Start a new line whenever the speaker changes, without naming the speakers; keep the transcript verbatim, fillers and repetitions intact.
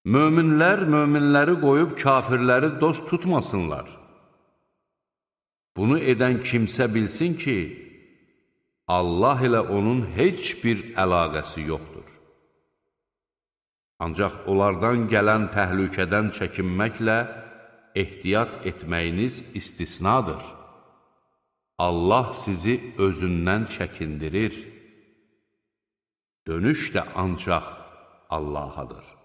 Möminlər möminləri qoyub kafirləri dost tutmasınlar. Bunu edən kimsə bilsin ki, Allah ilə onun heç bir əlaqəsi yoxdur. Ancaq onlardan gələn təhlükədən çəkinməklə ehtiyat etməyiniz istisnadır. Allah sizi özündən çəkindirir. Dönüş də ancaq Allahadır.